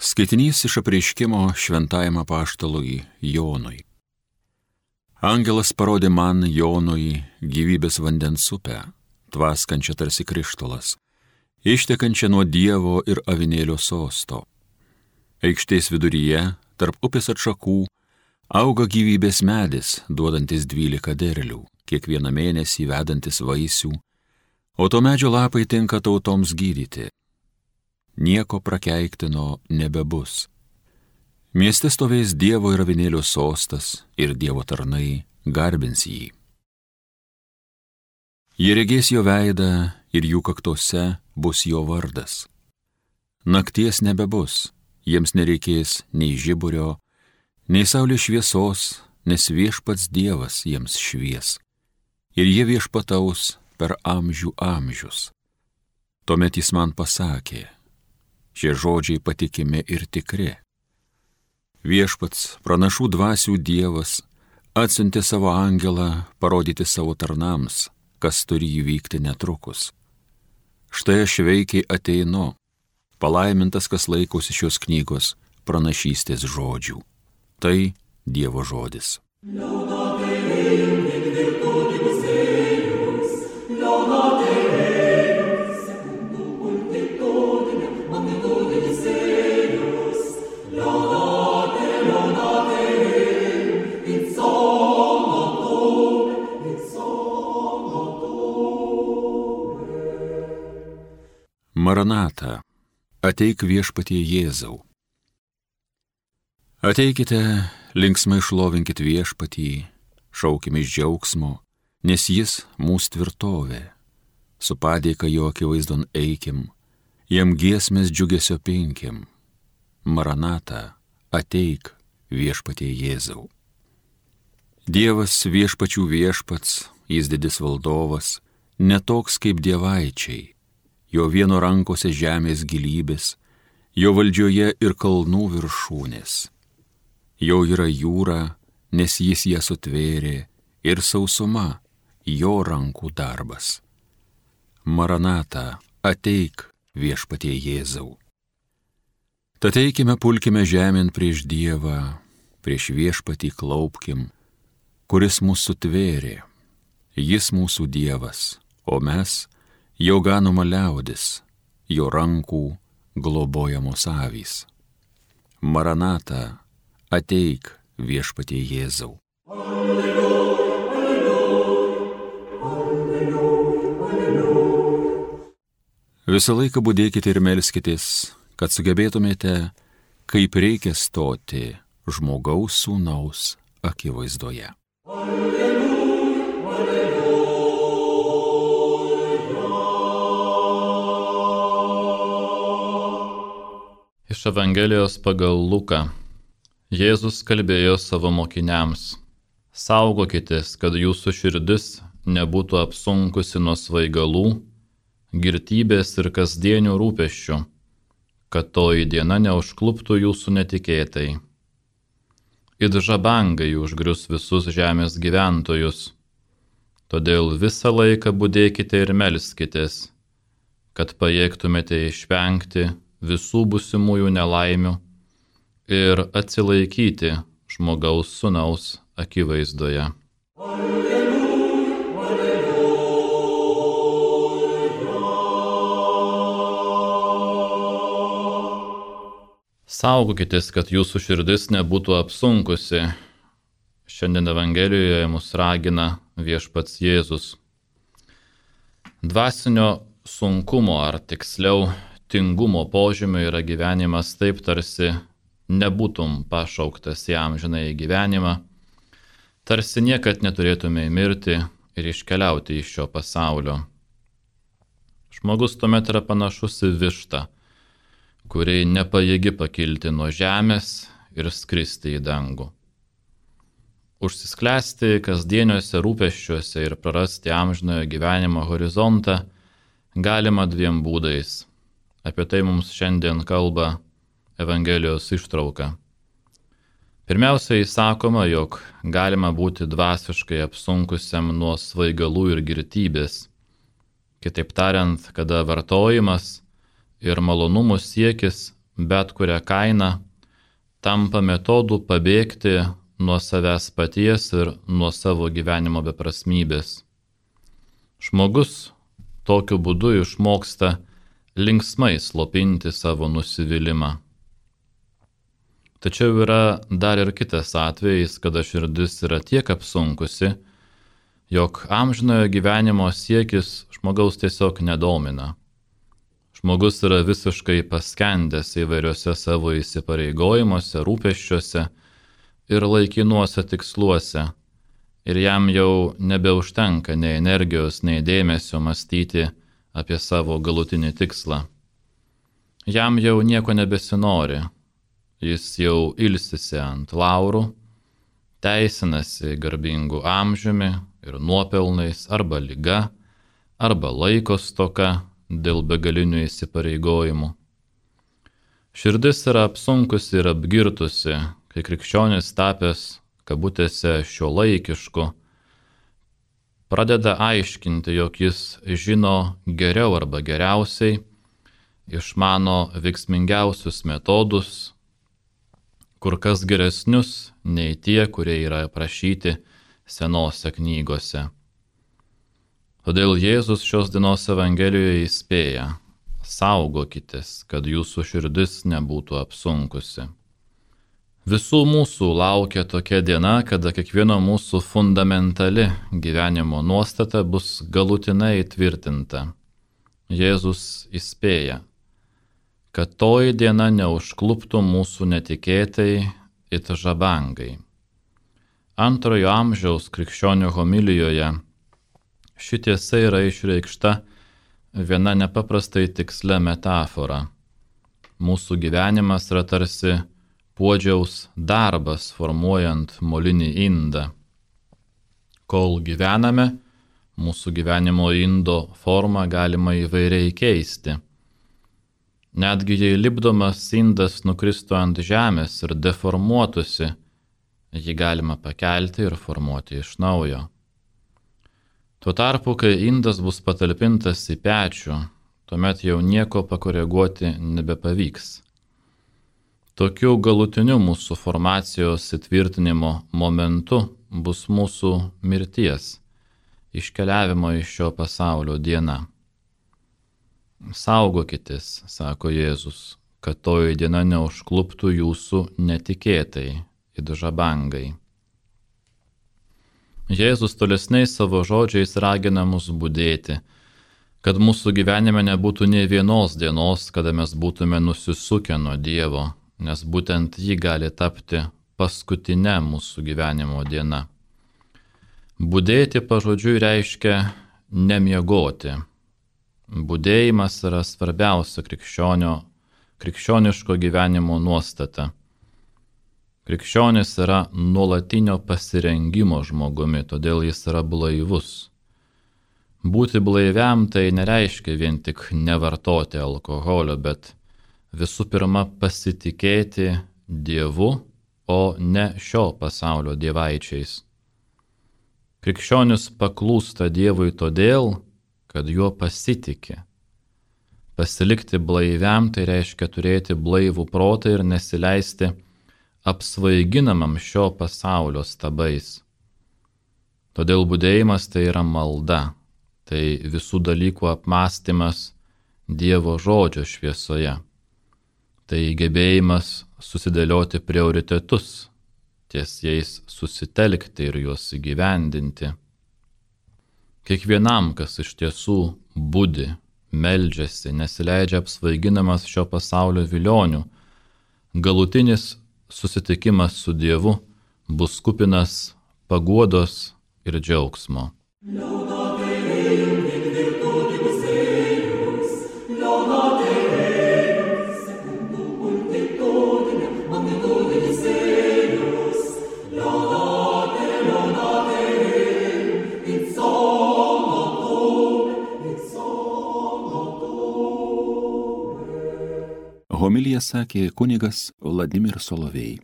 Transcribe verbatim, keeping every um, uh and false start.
Skaitinys iš apreiškimo šventajam apaštalui Jonui. Angelas parodė man, Jonui, gyvybės vandens upę, tvaskančią tarsi krištolas, ištekančią nuo Dievo ir avinėlio sosto. Aikštės viduryje, tarp upės atšakų, auga gyvybės medis, duodantis dvylika derlių, kiekvieną mėnesį vedantis vaisių, o to medžio lapai tinka tautoms gydyti. Nieko prakeiktino nebebus. Mieste stovės Dievo ir avinėlio sostas ir Dievo tarnai garbins jį. Jie regės jo veidą ir jų kaktose bus jo vardas. Nakties nebebus, jiems nereikės nei žiburio, nei saulės šviesos, nes viešpats Dievas jiems švies. Ir jie viešpataus per amžių amžius. Tuomet jis man pasakė: šie žodžiai patikimi ir tikri. Viešpats, pranašų dvasių Dievas, atsiuntė savo angelą parodyti savo tarnams, kas turi įvykti netrukus. Štai aš veikiai ateinu, palaimintas, kas laikosi šios knygos pranašystės žodžių. Tai Dievo žodis. Maranata, ateik viešpatie Jėzau. Ateikite, linksmai šlovinkit viešpatį, šaukime iš džiaugsmo, nes jis mūsų tvirtovė. Su padėka jo akivaizdon eikim, jam giesmės džiugesio pinkim. Maranata, ateik viešpatie Jėzau. Dievas viešpačių viešpats, jis didis valdovas, netoks kaip dievaičiai. Jo vieno rankose žemės gilybės, jo valdžioje ir kalnų viršūnės. Jo yra jūra, nes jis ją sutvėrė, ir sausuma, jo rankų darbas. Maranata, ateik viešpatie Jėzau. Tad eikime, pulkime žemėn prieš Dievą, prieš viešpatį klaupkim, kuris mūsų sutvėrė. Jis mūsų Dievas, o mes jo ganoma liaudis, jo rankų globojamos avys. Maranata, ateik viešpatie Jėzau. Alleluja, alleluja, alleluja. Visą laiką budėkite ir melskitės, kad sugebėtumėte, kaip reikia stoti žmogaus sūnaus akivaizdoje. Alleluja, alleluja. Iš Evangelijos pagal Luką. Jėzus kalbėjo savo mokiniams: saugokitės, kad jūsų širdis nebūtų apsunkusi nuo svaigalų, girtybės ir kasdienių rūpesčių, kad toji diena neužkluptų jūsų netikėtai. It žabangai užgrius visus žemės gyventojus, todėl visą laiką budėkite ir melskitės, kad pajėgtumėte išvengti visų būsimųjų nelaimių ir atsilaikyti žmogaus sūnaus akivaizdoje. Alleluja, alleluja. Saugokitės, kad jūsų širdis nebūtų apsunkusi. Šiandien Evangelijoje mus ragina viešpats Jėzus. Dvasinio sunkumo, ar tiksliau tingumo požymio yra gyvenimas taip, tarsi nebūtum pašauktas į amžinąjį gyvenimą, tarsi niekad neturėtumei mirti ir iškeliauti iš šio pasaulio. Žmogus tuomet yra panašus į vištą, kuri nepajėgi pakilti nuo žemės ir skristi į dangų. Užsisklęsti kasdieniuose rūpesčiuose ir prarasti amžinojo gyvenimo horizontą galima dviem būdais. Apie tai mums šiandien kalba Evangelijos ištrauka. Pirmiausiai sakoma, jog galima būti dvasiškai apsunkusiam nuo svaigalų ir girtybės. Kitaip tariant, kada vartojimas ir malonumų siekis bet kurią kainą, tampa metodu pabėgti nuo savęs paties ir nuo savo gyvenimo beprasmybės. Žmogus tokiu būdu išmoksta linksmai slopinti savo nusivylimą. Tačiau yra dar ir kitas atvejis, kada širdis yra tiek apsunkusi, jog amžinojo gyvenimo siekis žmogaus tiesiog nedomina. Žmogus yra visiškai paskendęs įvairiuose savo įsipareigojimuose, rūpesčiuose ir laikinuose tiksluose, ir jam jau nebeužtenka nei energijos, nei dėmesio mąstyti apie savo galutinį tikslą. Jam jau nieko nebesinori, jis jau ilsisi ant laurų, teisinasi garbingų amžiumi ir nuopelnais arba liga, arba laiko stoka dėl begalinių įsipareigojimų. Širdis yra apsunkusi ir apgirtusi, kai krikščionis tapęs kabutėse šiuolaikišku, pradeda aiškinti, jog jis žino geriau arba geriausiai, išmano veiksmingiausius metodus, kur kas geresnius nei tie, kurie yra aprašyti senose knygose. Todėl Jėzus šios dienos Evangelijoje įspėja: saugokitės, kad jūsų širdis nebūtų apsunkusi. Visų mūsų laukia tokia diena, kada kiekvieno mūsų fundamentali gyvenimo nuostata bus galutinai įtvirtinta. Jėzus įspėja, kad toji diena neužkluptų mūsų netikėtai it žabangai. Antrojo amžiaus krikščionių homilijoje ši tiesa yra išreikšta viena nepaprastai tikslia metafora. Mūsų gyvenimas yra tarsi puodžiaus darbas formuojant molinį indą. Kol gyvename, mūsų gyvenimo indo formą galima įvairiai keisti. Netgi jei lipdomas indas nukristų ant žemės ir deformuotųsi, jį galima pakelti ir formuoti iš naujo. Tuo tarpu, kai indas bus patalpintas į pečių, tuomet jau nieko pakoreguoti nebepavyks. Tokiu galutiniu mūsų formacijos įtvirtinimo momentu bus mūsų mirties, iškeliavimo iš šio pasaulio diena. Saugokitės, sako Jėzus, kad toji diena neužkluptų jūsų netikėtai, it žabangai. Jėzus tolesniais savo žodžiais ragina mus budėti, kad mūsų gyvenime nebūtų nė vienos dienos, kada mes būtume nusisukę nuo Dievo, nes būtent ji gali tapti paskutinė mūsų gyvenimo diena. Budėti pažodžiui reiškia nemiegoti. Budėjimas yra svarbiausia krikščionio, krikščioniško gyvenimo nuostata. Krikščionis yra nuolatinio pasirengimo žmogumi, todėl jis yra blaivus. Būti blaiviam tai nereiškia vien tik nevartoti alkoholio, bet visų pirma pasitikėti Dievu, o ne šio pasaulio dievaičiais. Krikščionis paklūsta Dievui todėl, kad juo pasitiki. Pasilikti blaiviam tai reiškia turėti blaivų protą ir nesileisti apsvaiginamam šio pasaulio stabais. Todėl budėjimas tai yra malda, tai visų dalykų apmąstymas Dievo žodžio šviesoje. Tai gebėjimas susidėlioti prioritetus, ties jais susitelkti ir juos įgyvendinti. Kiekvienam, kas iš tiesų budi, meldžiasi, nesileidžia apsvaiginamas šio pasaulio vilionių, galutinis susitikimas su Dievu bus kupinas paguodos ir džiaugsmo. Homiliją sakė kunigas Vladimir Solovej.